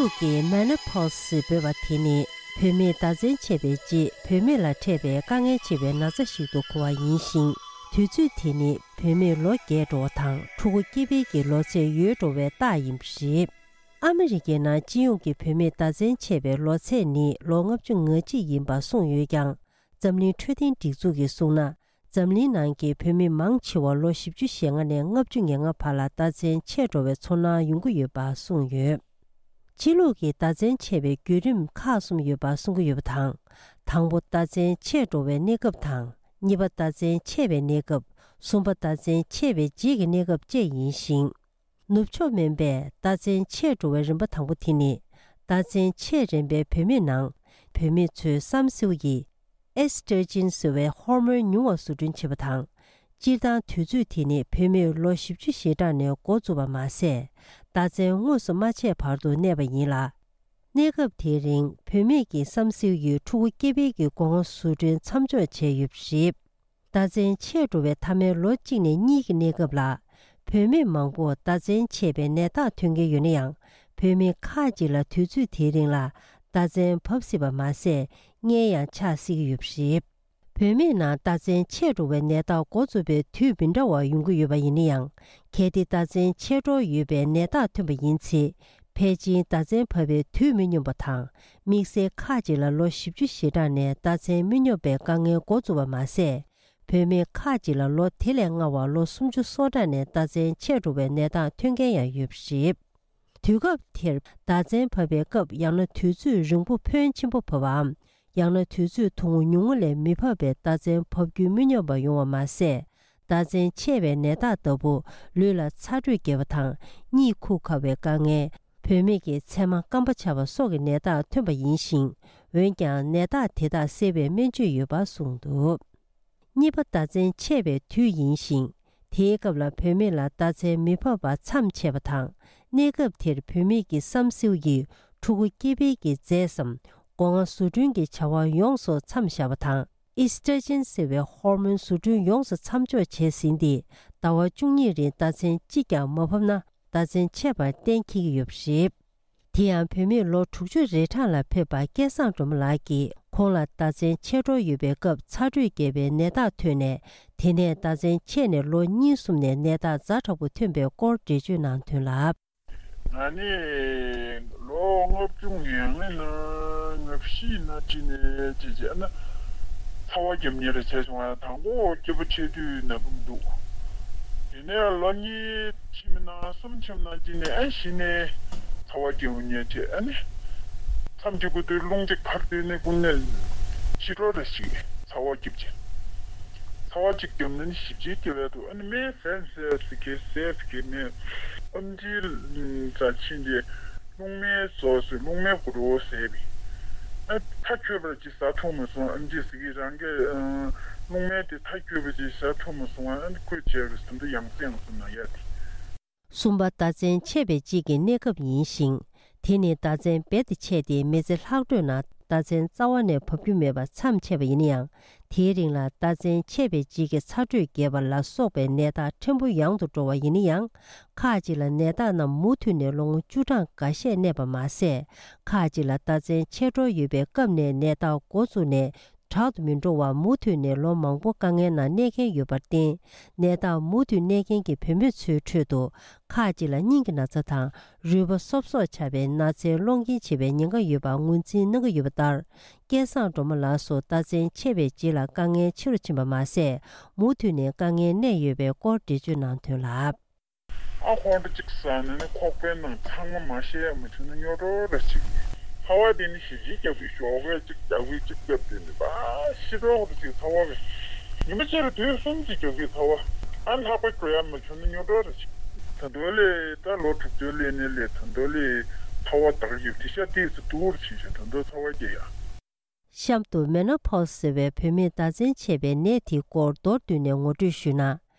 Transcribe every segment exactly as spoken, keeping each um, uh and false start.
ལུགས་ཀྱི་མེ་ནོ་པོ་སི་ཟེར་འབོད་པ་དེ་ནི་བུད་མེད་ཟླ་མཚན་ཆད་པའི་རྗེས་བུད་མེད་ལ་འཕྲད་པའི་དཀའ་ངལ་ཆེ་བའི་ན་ཚ་ཞིག་ཏུ་གོ་བ་ཡིན་ཞིང་། དུས་ཚོད་དེ་ནི་བུད་མེད་ལོ་རྒས་འགྲོ་བ་དང་ཕྲུ་གུ་སྐྱེ་འཕེལ་གྱི་ལོ་ཚད་ཡོལ་འགྲོ་བའི་རྟགས་ཡིན་པ་རེད། ཨ་མི་རི་ཀའི་ནང་སྤྱི་ཡོངས་ཀྱི་བུད་མེད་ཟླ་མཚན་ཆད་པའི་ལོ་ཚད་ནི་ལོ་ལྔ་བཅུ་ང་གཅིག་ཡིན་པ་གསུངས་ཡོད་ཀྱང་། འཛམ་གླིང་འཕྲོད་བསྟེན་སྒྲིག་འཛུགས་ཀྱིས་གསུངས་ན། འཛམ་གླིང་ནང་གི་བུད་མེད་མང་ཆེ་བ་ལོ་བཞི་བཅུ་ཞེ་ལྔ་ནས་ལྔ་བཅུ་ང་ལྔ་བར་ལ་ཟླ་མཚན་ཆད་འགྲོ་བའི་ཚོར་སྣང་ཡོང་གི་ཡོད་པ་གསུངས་ཡོད། ཕྱི་ལུགས་ཀྱི་ཟླ་མཚན་ཆད་པའི་བརྒྱུད་རིམ་ཁག་གསུམ་ཡོད་པ་གསུང་གི་ཡོད་པ་དང་། དང་པོ་ཟླ་མཚན་ཆད་འགྲོ་བའི་གནས་སྐབས་དང་། གཉིས་པ་ཟླ་མཚན་ཆད་པའི་གནས་སྐབས། གསུམ་པ་ཟླ་མཚན་ཆད་པའི་རྗེས་ཀྱི་གནས་སྐབས་བཅས་ཡིན་ཞིང་། ནུབ་ཕྱོགས་སྨན་པས་ཟླ་མཚན་ཆད་འགྲོ་བའི་རིམ་པ་དང་པོ་དེ་ནི། ཟླ་མཚན་ཆད་རན་པའི་བུད་མེད་ནང་། བུད་མེད་ཚོའི་བསམ་སེའུ་ཡིས། ཨེ་སི་ཊྲོ་ཇེན་ཟེར་བའི་ཧོར་མོན་ཉུང་བ་བཟོ་སྐྲུན་བྱེད་པ་དང་། སྤྱིར་བཏང་དུས་ཚོད་དེ་ནི་བུད་མེད་ལོ་བཞི་བཅུ་ཞེ་གྲངས་ནས་འགོ་བཙུགས་པ་མ་ཟད། ཟླ་མཚན་དངོས་སུ་མ་ཆད་བར་དུ་གནས་པ་ཡིན་ལ། གནས་སྐབས་དེའི་རིང་བུད་མེད་ཀྱི་བསམ་སེའུ་ཡིས་ཕྲུ་གུ་སྐྱེ་འཕེལ་གྱི་སྒོ་ང་བཟོ་སྐྲུན་མཚམས་འཇོག་བྱས་ཡོད་པ་རེད། ཟླ་མཚན་ཆད་འགྲོ་བའི་མཐའ་མའི་ལོ་གཅིག་ནས་གཉིས་ཀྱི་གནས་སྐབས་ལ། བུད་མེད་མང་པོ་ཟླ་མཚན་ཆད་པའི་ནད་རྟགས་ཐོན་གྱི་ཡོད་ན་ཡང་། བུད་མེད་ཁག་ཅིག་ལ་དུས་ཚོད་དེའི་རིང་ལ་ཟླ་མཚན་བབས་སྲིད་པ་མ་ཟད། མངལ་ཡང་ཆགས་སྲིད་ཀྱི་ཡོད་པ་རེད། བུད་མེད་ནང་ཟླ་མཚན་ཆད་འགྲོ་བའི་ནད་རྟགས་འགོ་བཙུགས་པའི་དུས་མི་འདྲ་བ་ཡོང་གི་ཡོད་པ་ཡིན་ན་ཡང་། གལ་ཏེ་ཟླ་མཚན་ཆད་འགྲོ་ཡོད་པའི་ནད་རྟགས་ཐོན་པ་ཡིན་ཚེ། ཕལ་ཆེར་ཟླ་མཚན་བབས་པའི་དུས་མི་སྙོམས་པ་དང་། དམིགས་བསལ་ཁག་ཅིག་ལ་ལོ་བཞི་བཅུ་ཞེ་གྲངས་ནས་ཟླ་མཚན་མི་སྙོམས་པའི་དཀའ་ངལ་འགོ་བཙུགས་པ་མ་ཟད། བུད་མེད་ཁག་ཅིག་ལ་ལོ་དེ་ལས་སྔ་བར་ལོ་སུམ་ཅུ་སོ་གྲངས་ནས་ཟླ་མཚན་ཆད་འགྲོ་བའི་ནད་རྟགས་ཐོན་མཁན་ཡང་ཡོད་པ་རེད། དུས་སྐབས་དེར་ཟླ་མཚན་བབས་པའི་སྐབས་ཡང་ན་དུས་ཚོད་རིང་པོ་ཕོན་ཆེན་པོ་བབས་པའམ། ཡང་ན་དུས་ཚོད་ཐུང་ངུ་ཉུང་ངུ་ལས་མི་བབས་པའི་ཟླ་མཚན་བབས་རྒྱུན་མི་སྙོམས་པ་ཡོང་བ་མ་ཟད། ཟླ་མཚན་ཆད་པའི་ནད་རྟགས་ལྟ་བུ་ལུས་ལ་ཚ་དྲོད་རྒྱས་པ་དང་གཉིད་ཁུག་ཁ་བའི་དཀའ་ངལ། བུད་མེད་ཀྱི་མཚན་མ་སྐམ་པ་ཆགས་པ་སོགས་ཀྱི་ནད་རྟགས་ཐོན་པ་ཡིན་ཞིང་། འོན་ཀྱང་ནད་རྟགས་དེ་དག་སེལ་བའི་སྨན་བཅོས་ཡོད་པ་གསུངས་འདུག་གཉིས་པ་ཟླ་མཚན་ཆད་པའི་དུས་ཡིན་ཞིང་། དེའི་སྐབས་ལ་བུད་མེད་ལ་ཟླ་མཚན་མི་བབས་པ་མཚམས་ཆད་པ་དང་། གནས་སྐབས་དེར་བུད་མེད་ཀྱི་བསམ་སེའུ་ཡིས་ཕྲུ་གུ་སྐྱེ་འཕེལ་གྱི་རྫས་སམ། སྒོ་ང་བཟོ་སྐྲུན་གྱི་བྱ་བ་ཡོངས་སུ་མཚམས་བཞག་པ་དང་། ཨི་སི་ཊྲོ་ཇེན་ཟེར་བའི་ཧོར་མོན་བཟོ་སྐྲུན་ཡོངས་སུ་མཚམས་འཇོག་བྱས་ཟིན་ཏེ། ཟླ་བ་བཅུ་གཉིས་རིང་ཟླ་མཚན་གཅིག་ཀྱང་མ་བབས་ན་ཟླ་མཚན་ཆད་པར་གཏན་འཁེལ་གྱི་ཡོད་པ་རེད། དེ་ཡང་བུད་མེད་ལོ་དྲུག་ཅུ་རེ་གྲངས་ལ་ཕེབས་པ་སྐལ་བཟང་སྒྲོལ་མ་ལགས་ཀྱིས་ཁོང་ལ་ཟླ་མཚན་ཆད་འགྲོ་ཡོད་པའི་སྐབས་ཚ་དྲོད་རྒྱས་པའི་ནད་རྟགས་ཐོན་ནས། དེ་ནས་ཟླ་མཚན་ཆད་ནས་ལོ་གཉིས་གསུམ་ནས་ནད་རྟགས་ཛ་དྲག་པོ་ཐོན་པའི་སྐོར་འགྲེལ་བརྗོད་གནང་དོན་ལ། ང་ནི་ལོ་ལྔ་བཅུ་ང་ལྔ་ན་ལྔ་བཞི་ན་ཅི་ནས་ཅི་བྱས་ན། ཚ་བ་རྒྱབ་མཁན་རེ་བྱས་བྱུང་བ། དང་པོ་སྐྱེས་བུ་ཆེ་དུས་ན་བུམ་འདུག་དེ་ནས་ལོ་གཉིས་ཕྱིན་ན་གསུམ་ཕྱིན་ན་ཅི་ནས་ཨ་གཞི་ནས་ཚ་བ་རྒྱབ་མཁན་བྱས། ཨ་ནི་མཚམས་ཀྱི་དགུ་དུས་རླུང་གཅིག་ཕར་བཏོན་ནས་ཀུན་ནས་ཕྱི་དྲོ་རེ་ཞིག་ཚ་བ་རྒྱབ་ཅིང་། ཚ་བ་གཅིག་བརྒྱབ་ན་ནི་ཞིབ་ཅིང་སྐྱེ་བས་འདུག་ཨ་ནི་སྨན་ཟས་ཟས་ཟེར་གི་ཟས་ཟེར་གི་སྨན། ཨམ་ཆིའི་རྩ་ཕྱིན་ཏེ་རླུང་སྨན་ཟོས་ཟེར། རླུང་སྨན་གུ་རུ་ཟས་པས། ཨ་ཐག་ཆོད་པར་ཅིག་ཟ་ཐུབ་མ་སོང་། ཨམ་ཆི་ཟེར་གི་རང་གི་རླུང་སྨན་དེ་ཐག་ཆོད་པ་ཅིག་ཟ་ཐུབ་མ་སོང་། ཨ་ནི་ཁོས་བྱས་པའི་ཟ་འདི་ཡང་སེ་ཡང་སེ་ན་ཡ་དེ། གསུམ་པ་ཟླ་མཚན་ཆད་པའི་རྗེས་ཀྱི་གནས་སྐབས་ཡིན་ཞིང་། དེ་ནི་ཟླ་མཚན་རྦད་དེ་ཆད་དེ་མི་ཚེ་ལྷག་འཕྲོས་ནང་ཟླ་མཚན་རྩ་བ་ནས་བབས་རྒྱུ་མེད་པར་མཚམས་ཆད་པ་ཡིན་ན་ཡང་། དེའི་རིང་ལ་ཟླ་མཚན་ཆད་པའི་རྗེས་ཀྱི་ཚ་དྲོད་རྒྱས་པ་ལ་སོགས་པའི་ནད་རྟགས་ཕྲན་བུ་ཡང་དུ་འགྲོ་བ་ཡིན་ན་ཡང་། ཁག་ཅིག་ལ་ནད་རྟགས་རྣམས་མུ་མཐུད་ནས་ལོ་ངོ་བཅུ་གྲངས་འགའ་ཤས་གནས་པ་མ་ཟད། ཁག་ཅིག་ལ་ཟླ་མཚན་ཆད་འགྲོ་ཡོད་པའི་སྐབས་ནས་ནད་རྟགས་འགོ་བཙུགས་ནས། དྲག་ཏུ་མི་འགྲོ་བར་མུ་མཐུད་ནས་ལོ་མང་པོ་དཀའ་ངལ་ནང་གནས་མཁན་ཡོད་པར་བརྟེན། ནད་རྟགས་མུ་མཐུད་གནས་མཁན་གྱི་བུད་མེད་ཚོའི་ཁྲོད་དུ། ཁག་ཅིག་ལ་སྙིང་གི་ན་ཚ་དང་རུས་པ་སོབ་སོབ་ཆགས་པའི་ན་ཚའི་སློང་རྐྱེན་བྱེད་པའི་ཉེན་ཁ་ཡོད་པ་ངོས་འཛིན་གནང་གི་ཡོད་པ་ལྟར། སྐལ་བཟང་སྒྲོལ་མ་ལགས་སུ་ཟླ་མཚན་ཆད་པའི་རྗེས་ལ་དཀའ་ངལ་ཆེ་རུ་ཕྱིན་པ་མ་ཟད། མུ་མཐུད་ནས་དཀའ་ངལ་གནས་ཡོད་པའི་སྐོར་འགྲེལ་བརྗོད་གནང་དོན་ལ། ཨ་ཁོང་ཁྲོ་གཅིག་ཟ་ན་ནི་ཁོག་པའི་ནང་ཚང་མ་མ་བཤད་ཡ་མ་བྱུང་ན་སྨྱོ་འགྲོ་ར་ཅིག་ཚ་བ་དེ་ནི་ཞིབ་ཅིག་རྒྱག་པའི་ཞོགས་ཀས་གཅིག་རྒྱག་པའི་གཅིག་རྒྱབ་དེ་ནི་པ་ཤི་འགྲོ་ར་ཅིག་ཚ་བ་གི་ཉི་མ་གཅིག་ར་དུས་གསུམ་གཅིག་རྒྱག་པའི་ཚ་བ། ཨ་ལྷག་པ་འགྲོ་ཡ་མ་བྱུང་ན་སྨྱོ་འགྲོ་ར་ཅིག་ད་དུང་ལས་ད་ལོ་དྲུག་ཅུ་ལས་ནས་ལས་ད་དུང་ལས་ཚ་བ་དག་ཡོད་དེ་ཤ་ཏིས་སུ་དུར་ཕྱིན་ཤ་ད་དུང་ཚ་བ་སྐྱེ་ཡ། གཤམ་དུ་མེ་ནོ་པོ་སི་ཟེར་བའི་བུད་མེད་ཟླ་མཚན་ཆད་པའི་ནད་དེའི་སྐོར་མདོར་བསྡུས་ནས་ངོ་སྤྲོད་ཞུས་ན།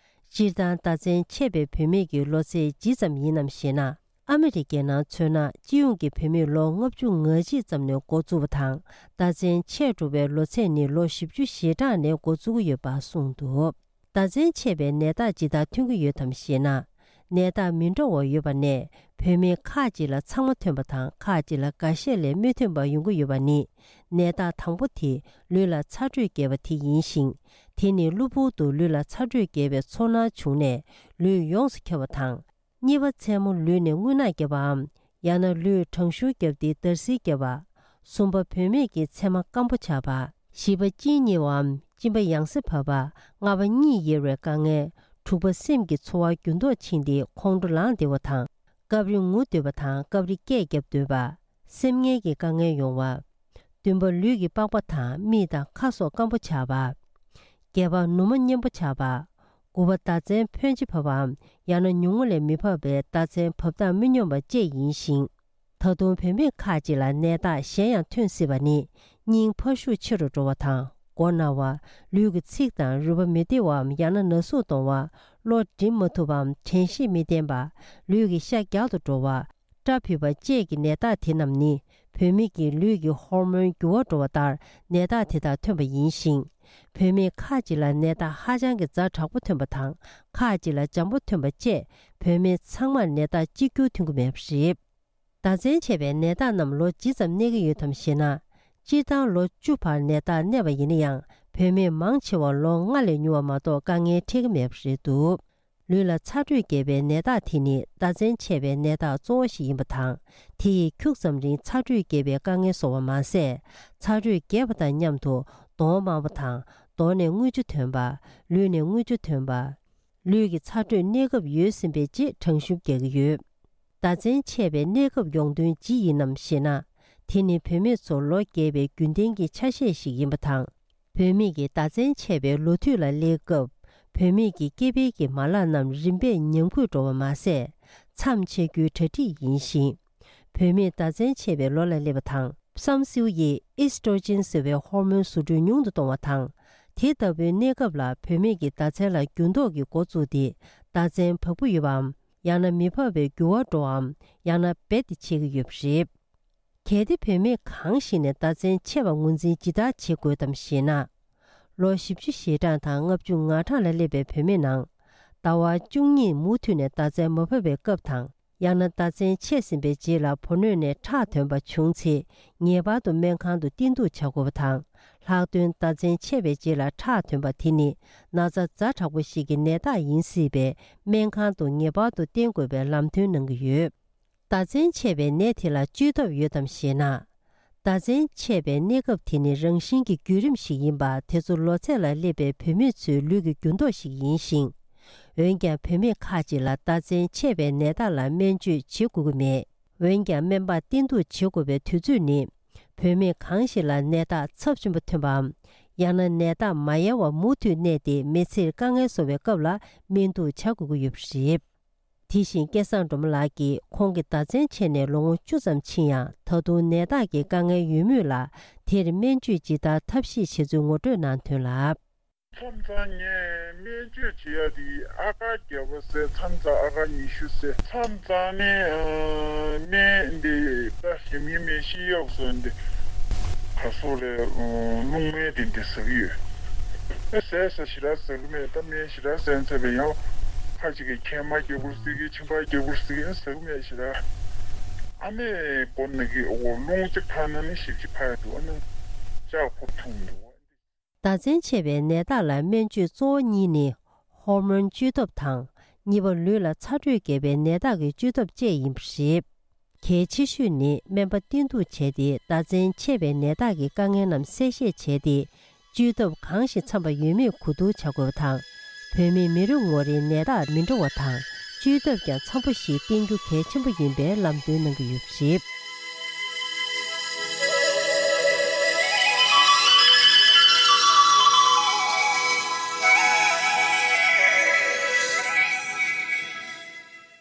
སྤྱིར་བཏང་ཟླ་མཚན་ཆད་པའི་བུད་མེད་ཀྱི་ལོ་ཚད་ཇི་ཙམ་ཡིན་ནམ་ཞེ་ན། ཨ་མི་རི་ཀའི་ནང་མཚོན་ན་སྤྱི་ཡོངས་ཀྱི་བུད་མེད་ལོ་ལྔ་བཅུ་ང་གཅིག་ཙམ་ནས་འགོ་བཙུགས་པ་དང་། ཟླ་མཚན་ཆད་འགྲོ་བའི་ལོ་ཚད་ནི་ལོ་བཞི་བཅུ་ཞེ་གྲངས་ནས་འགོ་བཙུགས་ཀྱི་ཡོད་པ་གསུངས་འདུག་ཟླ་མཚན་ཆད་པའི་ནད་རྟགས་ཇི་ལྟར་ཐོན་གྱི་ཡོད་དམ་ཞེ་ན། ནད་རྟགས་མི་འདྲ་བ་ཡོད་པ་ནས་བུད་མེད་ཁག་ཅིག་ལ་ཚང་མ་ཐོན་པ་དང་ཁག་ཅིག་ལ་འགའ་ཤས་ལས་མི་ཐོན་པ་ཡོང་གི་ཡོད་པ་ནི། ནད་རྟགས་དང་པོ་དེ་ལུས་ལ་ཚ་དྲོད་རྒྱས་པ་དེ་ཡིན་ཞིང་། དེ་ནི་གློ་བུར་དུ་ལུས་ལ་ཚ་དྲོད་རྒྱས་པའི་ཚོར་སྣང་བྱུང་ནས་ལུས་ཡོངས་སུ་འཁྱག་པ་དང་། གཉིས་པ་མཚན་མོ་ལུས་ནས་རྔུལ་ནག་བརྒྱབ་པའམ། ཡང་ན་ལུས་གྲང་ཤུར་བརྒྱབ་སྟེ་འདར་སིལ་བརྒྱབ་པ། གསུམ་པ་བུད་མེད་ཀྱི་མཚན་མ་སྐམ་པོ་ཆགས་པ། བཞི་པ་གཅིན་སྙི་བའམ་གཅིན་པ་ཡང་སེ་བབས་པ། ལྔ་པ་གཉིད་ཡེར་བའི་དཀའ་ངལ། དྲུག་པ་སེམས་ཀྱི་ཚོར་བ་འགྱུར་ལྡོག་ཕྱིན་ཏེ་ཁོང་ཁྲོ་ལངས་བདེ་བ་དང་། སྐབས་རེ་ངུ་འདོད་པ་དང་སྐབས་རེ་སྐད་བརྒྱབ་འདོད་པ། སེམས་ངལ་གྱི་དཀའ་ངལ་ཡོང་བ། བདུན་པ་ལུས་ཀྱི་པགས་པ་དང་མིག་དང་ཁ་སོགས་སྐམ་པོ་ཆགས་པ། བརྒྱད་པ་ནུ་མ་མཉེན་པོ་ཆགས་པ། དགུ་པ་ཟླ་མཚན་ཕོན་ཆེ་བབས་པའམ་ཡང་ན་ཉུང་ངུ་ལས་མི་བབས་པའི་ཟླ་མཚན་བབས་སྟངས་མི་སྙོམས་པ་བཅས་ཡིན་ཞིང་། ད་དུང་བུད་མེད་ཁག་ཅིག་ལ་ནད་རྟགས་གཞན་ཡང་ཐོན་སྲིད་པ་ནི། སྙིང་འཕར་ཤུགས་ཆེ་རུ་འགྲོ་བ་དང་མགོ་ན་བ། ལུས་ཀྱི་ཚིགས་དང་རུས་པ་མི་བདེ་བའམ་ཡང་ན་ན་ཟུག་གཏོང་བ། བློ་འགྲིམ་མ་ཐུབ་པའམ་དྲན་ཤེས་མི་བརྟན་པ། ལུས་ཀྱི་ཤ་རྒྱག་ཏུ་འགྲོ་བ། སྐྲ་ཕུད་པ་བཅས་ཀྱི་ནད་རྟགས་དེ་རྣམས་ནི་བུད་མེད་ཀྱི་ལུས་ཀྱི་ཧོར་མོན་འགྱུར་བ་འགྲོ་བ་ལྟར་ནད་རྟགས་དེ་དག་ཐོན་པ་ཡིན་ཞིང་། བུད་མེད་ཁག་ཅིག་ལ་ནད་རྟགས་ཧ་ཅང་གི་ཛ་དྲག་པོ་ཐོན་པ་དང་ཁག་ཅིག་ལ་འཇམ་པོ་ཐོན་པ་བཅས་བུད་མེད་ཚང་མར་ནད་རྟགས་གཅིག་གྱུར་ཐོན་གྱི་མེད་པ་རེད། ཟླ་མཚན་ཆད་པའི་ནད་རྟགས་རྣམས་ལོ་ཇི་ཙམ་གནས་ཀྱི་ཡོད་དམ་ཞེ་ན། སྤྱིར་བཏང་ལོ་བཅུ་བར་ནད་རྟགས་གནས་པ་ཡིན་ན་ཡང་བུད་མེད་མང་ཆེ་བར་ལོ་ལྔ་ལས་ཉུང་བ་མ་གཏོགས་དཀའ་ངལ་འཕྲད་ཀྱི་མེད་པ་རེད་འདུག་ལུས་ལ་ཚ་དྲོད་རྒྱས་པའི་ནད་རྟགས་དེ་ནི་ཟླ་མཚན་ཆད་པའི་ནད་རྟགས་གཙོ་བོ་ཞིག་ཡིན་པ་དང་། དེ་ཡིས་ཁྱུག་ཙམ་རིང་ཚ་དྲོད་རྒྱས་པའི་དཀའ་ངལ་བཟོ་བ་མ་ཟད། ཚ་དྲོད་རྒྱས་པ་དང་མཉམ་དུ་གདོང་དམར་པོ་དང་གདོང་ནས་རྔུལ་ཆུ་ཐོན་པ། ལུས་ནས་རྔུལ་ཆུ་ཐོན་པ། ལུས་ཀྱི་ཚ་དྲོད་གནས་སྐབས་ཡོལ་ཟིན་པའི་རྗེས་གྲང་ཤུམ་རྒྱག་གི་ཡོད། ཟླ་མཚན་ཆད་པའི་གནས་སྐབས་ཡོང་དོན་ཇི་ཡིན་ནམ་ཞེ་ན། དེ་ནི་བུད་མེད་ཚོ་ལོ་རྒས་པའི་རྒྱུན་ལྡན་གྱི་ཆ་ཤས་ཤིག་ཡིན་པ་དང་། བུད་མེད་ཀྱི་ཟླ་མཚན་ཆད་པའི་ལོ་དུས་ལ་སླེབས་སྐབས། བུད་མེད་ཀྱི་སྐྱེ་འཕེལ་གྱི་མ་ལག་རྣམས་རིམ་པས་ཉམས་རྒུད་འགྲོ་བ་མ་ཟད། མཚམས་ཆད་རྒྱུའི་གྲ་སྒྲིག་ཡིན་ཞིང་། བུད་མེད་ཟླ་མཚན་ཆད་པའི་ལོ་ལ་སླེབས་པ་དང་། བསམ་སེའུ་ཡིས་ཨེ་སི་ཊྲོ་ཇེན་ཟེར་བའི་ཧོར་མོན་བཟོ་སྐྲུན་ཉུང་དུ་གཏོང་བ་དང་། དེ་ལྟ་བུའི་གནས་སྐབས་ལ་བུད་མེད་ཀྱི་ཟླ་མཚན་ལ་འགྱུར་ལྡོག་གི་འགོ་བཙུགས་ཏེ། ཟླ་མཚན་བབས་ཀྱི་ཡོད་པའམ། ཡང་ན་མི་བབས་པའི་འགྱུར་བ་འགྲོ་བའམ། ཡང་ན་རྦད་དེ་ཆད་ཀྱི་ཡོད་པ་རེད། གལ་ཏེ་བུད་མེད་གང་ཞིག་ནས་ཟླ་མཚན་ཆད་པ་ངོས་འཛིན་ཇི་ལྟར་བྱེད་དགོས་དམ་ཞེ་ན། ལོ་བཞི་བཅུ་ཞེ་གྲངས་དང་ལྔ་བཅུ་ང་གྲངས་ལ་སླེབས་པའི་བུད་མེད་ནང་། ཟླ་བ་བཅུ་གཉིས་མུ་མཐུད་ནས་ཟླ་མཚན་མ་བབས་པའི་སྐབས་དང་། ཡང་ན་ཟླ་མཚན་ཆད་ཟིན་པའི་རྗེས་ལ་བུ་སྣོད་ནས་ཁྲག་ཐོན་པ་བྱུང་ཚེ། ངེས་པར་དུ་སྨན་ཁང་དུ་བསྟེན་གཏུགས་བྱ་དགོས་པ་དང་། ལྷག་དོན་ཟླ་མཚན་ཆད་པའི་རྗེས་ལ་ཁྲག་ཐོན་པ་དེ་ནི་ན་ཚ་ཛ་དྲག་པོ་ཞིག་གི་ནད་རྟགས་ཡིན་སྲིད་པས། སྨན་ཁང་དུ་ངེས་པར་དུ་བསྟེན་དགོས་པའི་ལམ་སྟོན་གནང་གི་ཡོད། ཟླ་མཚན་ཆད་པའི་ནད་དེ་ལ་བཅོས་ཐབས་ཡོད་དམ་ཞེ་ན། ཟླ་མཚན་ཆད་པའི་གནས་སྐབས་དེ་ནི་རང་བཞིན་གྱི་བརྒྱུད་རིམ་ཞིག་ཡིན་པ། དེ་ཚོ་ལོ་ཚད་ལ་སླེབས་པའི་བུད་མེད་ཚོའི་ལུས་ཀྱི་འགྱུར་ལྡོག་ཞིག་ཡིན་ཞིང་། འོན་ཀྱང་བུད་མེད་ཁག་ཅིག་ལ་ཟླ་མཚན་ཆད་པའི་ནད་རྟགས་ལ་སྨན་བཅོས་བྱེད་དགོས་ཀྱི་མེད། འོན་ཀྱང་སྨན་པར་བསྟེན་གཏུགས་བྱེད་དགོས་པའི་དུས་ཚོད་ནི། བུད་མེད་གང་ཞིག་ལ་ནད་རྟགས་ཚབས་ཆེན་པོ་ཐོན་པའམ། ཡང་ན་ནད་རྟགས་མ་ཡལ་བར་མུ་མཐུད་གནས་ཏེ་མི་ཚེར་དཀའ་ངལ་བཟོ་བའི་སྐབས་ལ་སྨན་གཏུགས་བྱ་དགོས་ཀྱི་ཡོད་པ་རེད། དེ་བཞིན་སྐལ་བཟང་སྒྲོལ་མ་ལགས་ཀྱིས་ཁོང་གི་ཟླ་མཚན་ཆད་ནས་ལོ་ངོ་བཅུ་ཙམ་ཕྱིན་ཡང་། ད་དུང་ནད་རྟགས་ཀྱི་དཀའ་ངལ་ཡོད་མུས་ལ། དེར་སྨན་བཅོས་ཇི་ལྟར་ཐབས་ཤེས་བྱེད་ཚུལ་ངོ་སྤྲོད་གནང་དོན་ལ། མཚམས་མཚམས་ངས་སྨན་བཅོས་བྱེད་ཡ་དེ་ཨ་ཀར་བརྒྱབ་པ་ཟེར། མཚམས་མཚམས་ཨ་ཀར་ཉི་ཤུ་ཟེར། མཚམས་མཚམས་ནི་སྨན་འདི་ད་ཞིམ་ཉི་མེད་ཤི་གཡོག་སོན་འདི་ག་སོགས་ལས་རླུང་སྨན་དེ་འདི་ཟ་གི་ཡོད། ཨེ་ཟས་ཟ་ཞེ་དྲག་ཟ་གི་མེད། ད་སྨན་ཞེ་དྲག་ཟས་ཚར་བས་ཡང་ཁ་ཅིག་གིས་མཁལ་མ་རྒྱག་དགོས་ཟེར་གི། མཆིན་པ་རྒྱག་དགོས་ཟེར་གི། ཨེ་ཟ་གི་མེད་ཞེ་དྲག། ཨ་མས་སྒོ་ནས་གི་འོ་རླུང་གཅིག་འཕར་ན་ནི་ཞེ་པོ་ཅིག་འཕར་ཡ་འདུག་ཨ་ནི་ལྕགས་ཕོར་འཐུང་འདུག་ཟླ་མཚན་ཆད་པའི་ནད་རྟགས་ལ་སྨན་བཅོས་གཙོ་བོ་གཉིས་ནི། ཧོར་མོན་བཅོས་ཐབས་དང་། གཉིས་པ་ལུས་ལ་ཚ་དྲོད་རྒྱས་པའི་ནད་རྟགས་ཀྱི་བཅོས་ཐབས་བཅས་ཡིན་པ་རེད། གལ་ཆེ་ཤོས་ནི་སྨན་པ་བསྟེན་གཏུགས་བྱས་ཏེ། ཟླ་མཚན་ཆད་པའི་ནད་རྟགས་ཀྱི་དཀའ་ངལ་རྣམས་གསལ་བཤད་བྱས་ཏེ། བཅོས་ཐབས་གང་ཞིག་འཚམ་པ་ཡོད་མེད་གོ་བསྡུར་བྱ་དགོས་པ་དང་། བུད་མེད་མི་རེ་ངོ་རེའི་ནད་རྟགས་མི་འདྲ་བ་དང་། བཅོས་ཐབས་ཀྱང་འཚམ་པོ་ཞིག་བསྟེན་རྒྱུ་གལ་ཆེན་པོ་ཡིན་པའི་ལམ་སྟོན་གནང་གི་ཡོད་པ་རེད།